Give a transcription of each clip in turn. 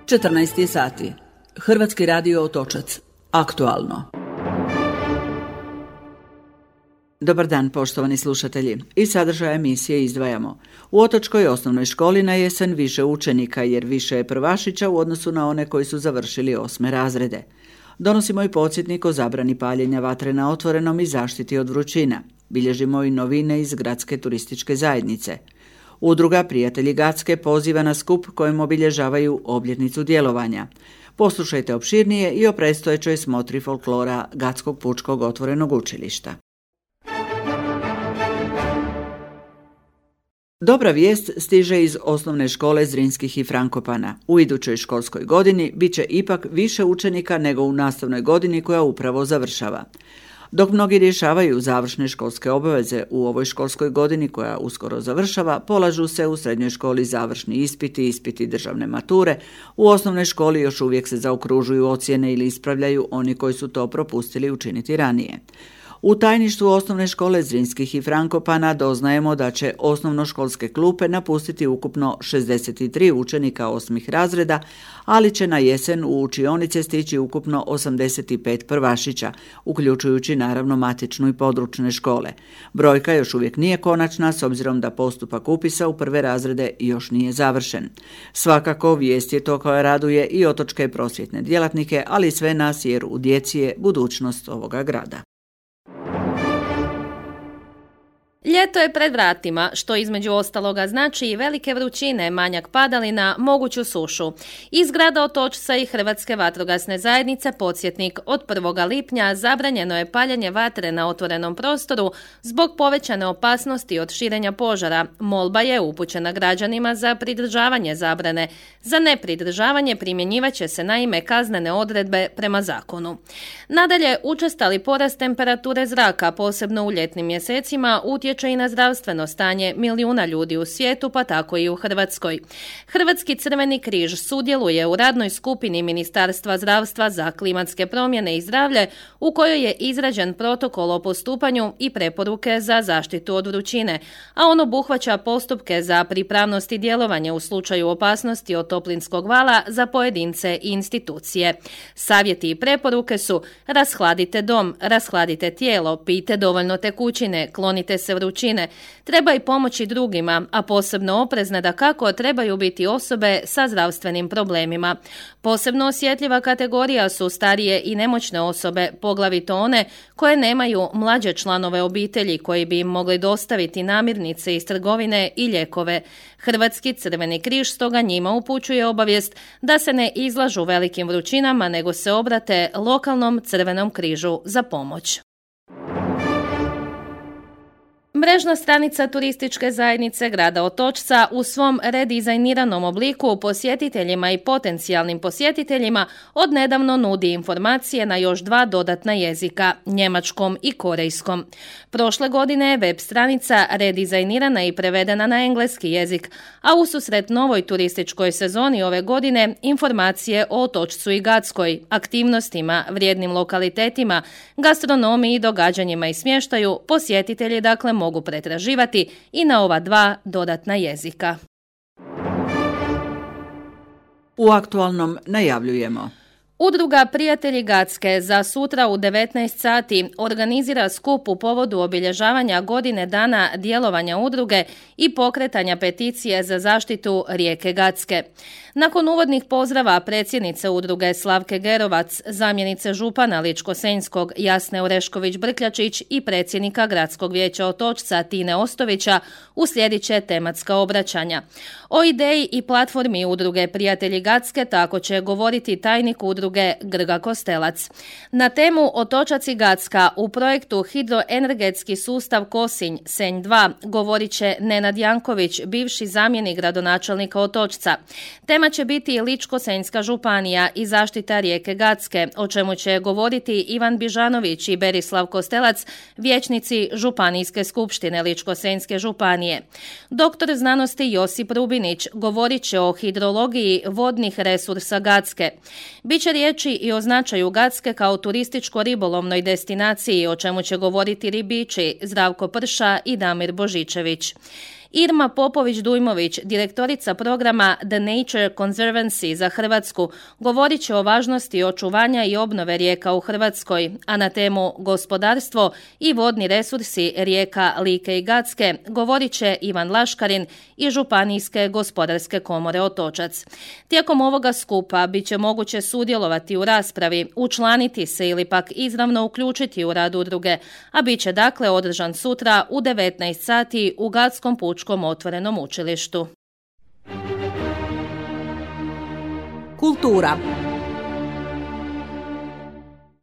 14 sati. Hrvatski radio Otočac. Aktualno. Dobar dan, poštovani slušatelji. Iz sadržaja emisije izdvajamo. U Otočkoj osnovnoj školi na jesen više učenika jer više je prvašića u odnosu na one koji su završili 8. razrede. Donosimo i podsjetnik o zabrani paljenja vatre na otvorenom i zaštiti od vrućina. Bilježimo i novine iz gradske turističke zajednice. Udruga Prijatelji Gacke poziva na skup kojem obilježavaju obljetnicu djelovanja. Poslušajte opširnije i o predstojećoj smotri folklora Gatskog pučkog otvorenog učilišta. Dobra vijest stiže iz osnovne škole Zrinskih i Frankopana. U idućoj školskoj godini bit će ipak više učenika nego u nastavnoj godini koja upravo završava. Dok mnogi rješavaju završne školske obaveze u ovoj školskoj godini koja uskoro završava, polažu se u srednjoj školi završni ispiti državne mature, u osnovnoj školi još uvijek se zaokružuju ocjene ili ispravljaju oni koji su to propustili učiniti ranije. U tajništvu osnovne škole Zrinskih i Frankopana doznajemo da će osnovnoškolske klupe napustiti ukupno 63 učenika 8. razreda, ali će na jesen u učionice stići ukupno 85 prvašića, uključujući naravno matičnu i područne škole. Brojka još uvijek nije konačna s obzirom da postupak upisa u prve razrede još nije završen. Svakako vijest je to koja raduje i otočke prosvjetne djelatnike, ali i sve nas jer u djeci je budućnost ovoga grada. Ljeto je pred vratima, što između ostaloga znači i velike vrućine, manjak padalina, moguću sušu. Iz grada Otočca i Hrvatske vatrogasne zajednice podsjetnik: od 1. lipnja zabranjeno je paljenje vatre na otvorenom prostoru zbog povećane opasnosti od širenja požara. Molba je upućena građanima za pridržavanje zabrane. Za nepridržavanje primjenjivat će se naime kaznene odredbe prema zakonu. Nadalje, učestali porast temperature zraka, posebno u ljetnim mjesecima, utječe i na zdravstveno stanje milijuna ljudi u svijetu, pa tako i u Hrvatskoj. Hrvatski Crveni križ sudjeluje u radnoj skupini Ministarstva zdravstva za klimatske promjene i zdravlje, u kojoj je izrađen protokol o postupanju i preporuke za zaštitu od vrućine, a on obuhvaća postupke za pripravnost i djelovanje u slučaju opasnosti od toplinskog vala za pojedince i institucije. Savjeti i preporuke su: rashladite dom, rashladite tijelo, pijte dovoljno tekućine, klonite se vrućine, treba i pomoći drugima, a posebno oprezne dakako trebaju biti osobe sa zdravstvenim problemima. Posebno osjetljiva kategorija su starije i nemoćne osobe, poglavito one koje nemaju mlađe članove obitelji koji bi im mogli dostaviti namirnice iz trgovine i lijekove. Hrvatski Crveni križ stoga njima upućuje obavijest da se ne izlažu velikim vrućinama, nego se obrate lokalnom Crvenom križu za pomoć. Mrežna stranica turističke zajednice grada Otočca u svom redizajniranom obliku posjetiteljima i potencijalnim posjetiteljima odnedavno nudi informacije na još 2 dodatna jezika, njemačkom i korejskom. Prošle godine je web stranica redizajnirana i prevedena na engleski jezik, a ususret novoj turističkoj sezoni ove godine informacije o Otočcu i Gatskoj, aktivnostima, vrijednim lokalitetima, gastronomiji i događanjima i smještaju posjetitelji dakle mogu pretraživati i na ova 2 dodatna jezika. U aktualnom najavljujemo. Udruga Prijatelji Gacke za sutra u 19 sati organizira skup u povodu obilježavanja godine dana djelovanja udruge i pokretanja peticije za zaštitu rijeke Gacke. Nakon uvodnih pozdrava predsjednice udruge Slavke Gerovac, zamjenice župana Ličko-senjskog Jasne Orešković-Brkljačić i predsjednika Gradskog vijeća Otočca Tine Ostovića uslijedit će tematska obraćanja. O ideji i platformi udruge Prijatelji Gacke tako će govoriti tajnik udruge Grga Kostelac. Na temu Otočac i Gacka u projektu Hidroenergetski sustav Kosinj Senj 2 govorit će Nenad Janković, bivši zamjenik gradonačelnika Otočca. Tema će biti Ličko-senjska županija i zaštita rijeke Gacke, o čemu će govoriti Ivan Bižanović i Berislav Kostelac, vijećnici Županijske skupštine Ličko-senjske županije. Doktor znanosti Josip Rubinić govorit će o hidrologiji vodnih resursa Gacke. Biće riječi i o značaju Gacke kao turističko-ribolovnoj destinaciji, o čemu će govoriti ribiči Zdravko Prša i Damir Božičević. Irma Popović-Dujmović, direktorica programa The Nature Conservancy za Hrvatsku, govorit će o važnosti očuvanja i obnove rijeka u Hrvatskoj, a na temu gospodarstvo i vodni resursi rijeka Like i Gacke govorit će Ivan Laškarin iz Županijske gospodarske komore Otočac. Tijekom ovoga skupa bit će moguće sudjelovati u raspravi, učlaniti se ili pak izravno uključiti u rad udruge, a bit će dakle održan sutra u 19 sati u Gatskom pučkom otvorenom učilištu. Kultura.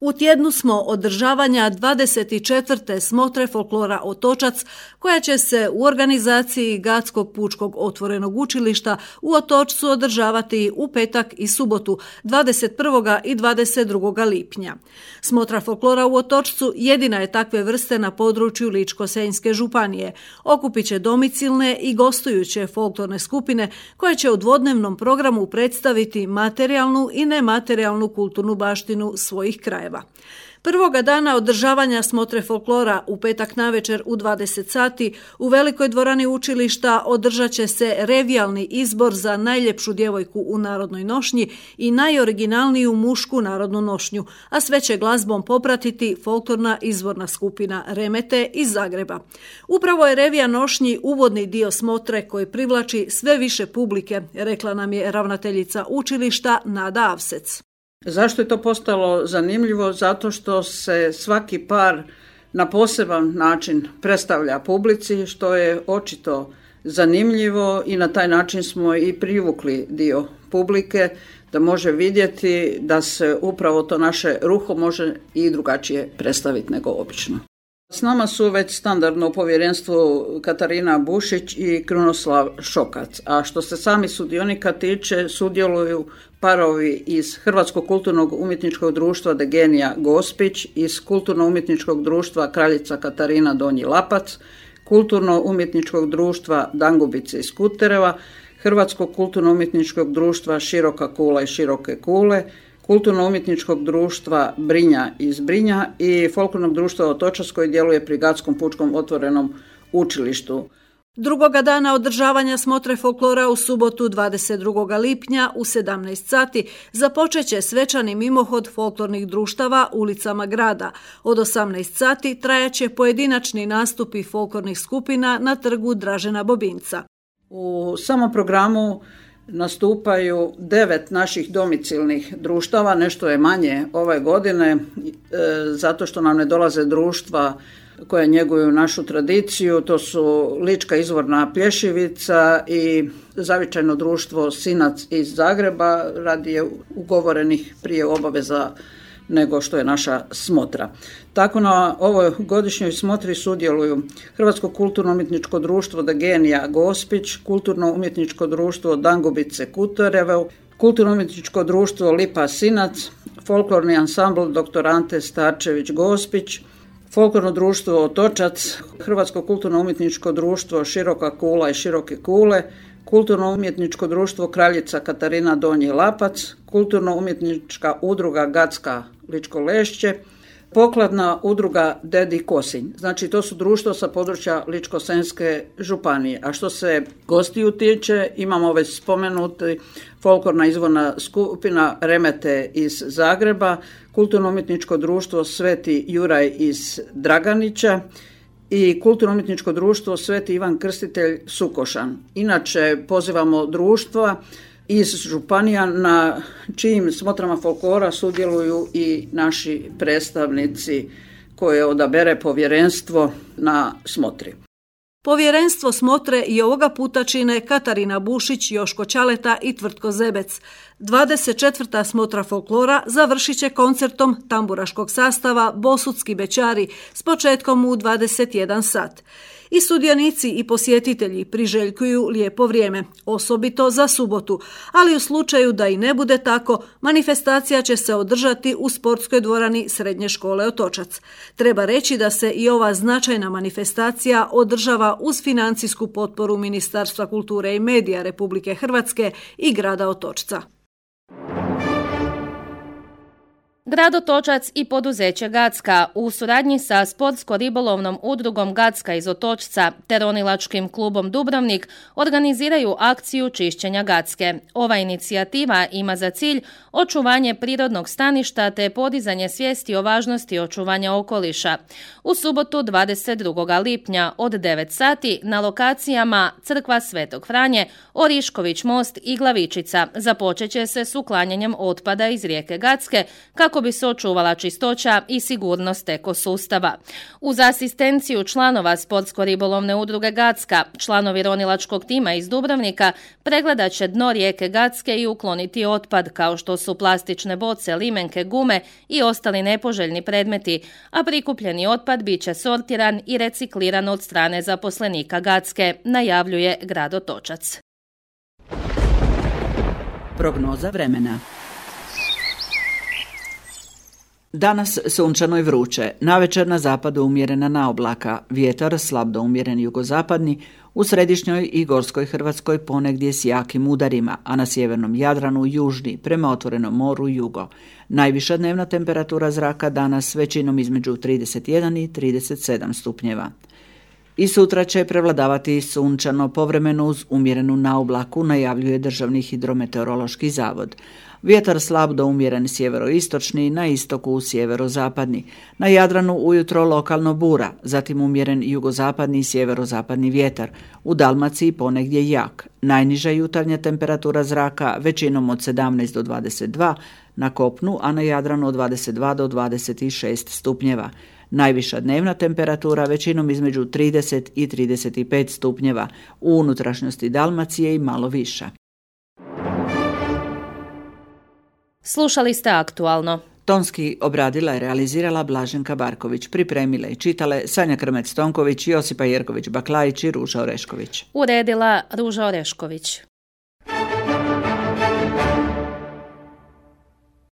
U tjednu smo održavanja 24. smotre folklora Otočac, koja će se u organizaciji Gatskog pučkog otvorenog učilišta u Otočcu održavati u petak i subotu 21. i 22. lipnja. Smotra folklora u Otočcu jedina je takve vrste na području Ličko-senjske županije. Okupit će domicilne i gostujuće folklorne skupine koje će u dvodnevnom programu predstaviti materijalnu i nematerijalnu kulturnu baštinu svojih krajeva. Prvoga dana održavanja smotre folklora u petak navečer u 20 sati u velikoj dvorani učilišta održat će se revijalni izbor za najljepšu djevojku u narodnoj nošnji i najoriginalniju mušku narodnu nošnju, a sve će glazbom popratiti folklorna izvorna skupina Remete iz Zagreba. Upravo je revija nošnji uvodni dio smotre koji privlači sve više publike, rekla nam je ravnateljica učilišta Nada Avsec. Zašto je to postalo zanimljivo? Zato što se svaki par na poseban način predstavlja publici, što je očito zanimljivo i na taj način smo i privukli dio publike da može vidjeti da se upravo to naše ruho može i drugačije predstaviti nego obično. S nama su već standardno u povjerenstvu Katarina Bušić i Krunoslav Šokac, a što se sami sudionika tiče, sudjeluju parovi iz Hrvatskog kulturnog umjetničkog društva Degenija Gospić, iz Kulturno-umjetničkog društva Kraljica Katarina Donji Lapac, Kulturno-umjetničkog društva Dangubice iz Kutereva, Hrvatskog kulturno-umjetničkog društva Široka kula i Široke kule, Kulturno-umjetničkog društva Brinja iz Brinja i Folklornog društva Otočac koji djeluje pri Gatskom pučkom otvorenom učilištu. Drugoga dana održavanja smotre folklora u subotu 22. lipnja u 17 sati započet će svečani mimohod folklornih društava ulicama grada. Od 18 sati trajaće pojedinačni nastupi folklornih skupina na trgu Dražena Bobinca. U samom programu nastupaju 9 naših domicilnih društava, nešto je manje ove godine, zato što nam ne dolaze društva koje njeguju našu tradiciju. To su Lička izvorna plješivica i Zavičajno društvo Sinac iz Zagreba, radi je ugovorenih prije obaveza nego što je naša smotra. Tako na ovoj godišnjoj smotri sudjeluju Hrvatsko kulturno-umjetničko društvo Degenija Gospić, Kulturno-umjetničko društvo Dangubice Kuterevo, Kulturno-umjetničko društvo Lipa Sinac, Folklorni ansambl dr. Ante Starčević Gospić, Folklorno društvo Otočac, Hrvatsko kulturno-umjetničko društvo Široka kula i Široke kule, Kulturno-umjetničko društvo Kraljica Katarina Donji Lapac, Kulturno-umjetnička udruga Gatska Ličko Lešće, Pokladna udruga Dedi Kosinj. Znači to su društva sa područja Ličko-senjske županije. A što se gostiju tiče, imamo već spomenuti folklorna izvorna skupina Remete iz Zagreba, Kulturno-umjetničko društvo Sveti Juraj iz Draganića i Kulturno-umjetničko društvo Sveti Ivan Krstitelj Sukošan. Inače pozivamo društva iz županija na čijim smotrama folklora sudjeluju i naši predstavnici koje odabere povjerenstvo na smotri. Povjerenstvo smotre i ovoga puta čine Katarina Bušić, Joško Ćaleta i Tvrtko Zebec. 24. smotra folklora završit će koncertom tamburaškog sastava Bosutski bećari s početkom u 21 sat. I sudionici i posjetitelji priželjkuju lijepo vrijeme, osobito za subotu, ali u slučaju da i ne bude tako, manifestacija će se održati u sportskoj dvorani Srednje škole Otočac. Treba reći da se i ova značajna manifestacija održava uz financijsku potporu Ministarstva kulture i medija Republike Hrvatske i grada Otočca. Grad Otočac i poduzeće Gacka u suradnji sa sportsko-ribolovnom udrugom Gacka iz Otočca te ronilačkim klubom Dubrovnik organiziraju akciju čišćenja Gacke. Ova inicijativa ima za cilj očuvanje prirodnog staništa te podizanje svijesti o važnosti očuvanja okoliša. U subotu 22. lipnja od 9 sati na lokacijama Crkva Svetog Franje, Orišković most i Glavičica započet će se s uklanjanjem otpada iz rijeke Gacke kako bi se očuvala čistoća i sigurnost ekosustava. Uz asistenciju članova sportsko-ribolovne udruge Gacka, članovi ronilačkog tima iz Dubrovnika pregledat će dno rijeke Gacke i ukloniti otpad kao što su plastične boce, limenke, gume i ostali nepoželjni predmeti, a prikupljeni otpad bit će sortiran i recikliran od strane zaposlenika Gacke, najavljuje grad Otočac. Prognoza vremena. Danas sunčano i vruće, navečer na zapadu umjerena naoblaka, vjetar slab do umjeren jugozapadni, u središnjoj i gorskoj Hrvatskoj ponegdje s jakim udarima, a na sjevernom Jadranu južni, prema otvorenom moru jugo. Najviša dnevna temperatura zraka danas većinom između 31 i 37 stupnjeva. I sutra će prevladavati sunčano povremeno uz umjerenu naoblaku, najavljuje Državni hidrometeorološki zavod. Vjetar slab do umjeren sjeveroistočni, na istoku sjeverozapadni. Na Jadranu ujutro lokalno bura, zatim umjeren jugozapadni i sjeverozapadni vjetar. U Dalmaciji ponegdje jak. Najniža jutarnja temperatura zraka većinom od 17 do 22, na kopnu, a na Jadranu od 22 do 26 stupnjeva. Najviša dnevna temperatura većinom između 30 i 35 stupnjeva, u unutrašnjosti Dalmacije i malo viša. Slušali ste Aktualno. Tonski obradila i realizirala Blaženka Barković, pripremile i čitale Sanja Krmec-Tonković, Josipa Jerković-Baklajić i Ruža Orešković. Uredila Ruža Orešković.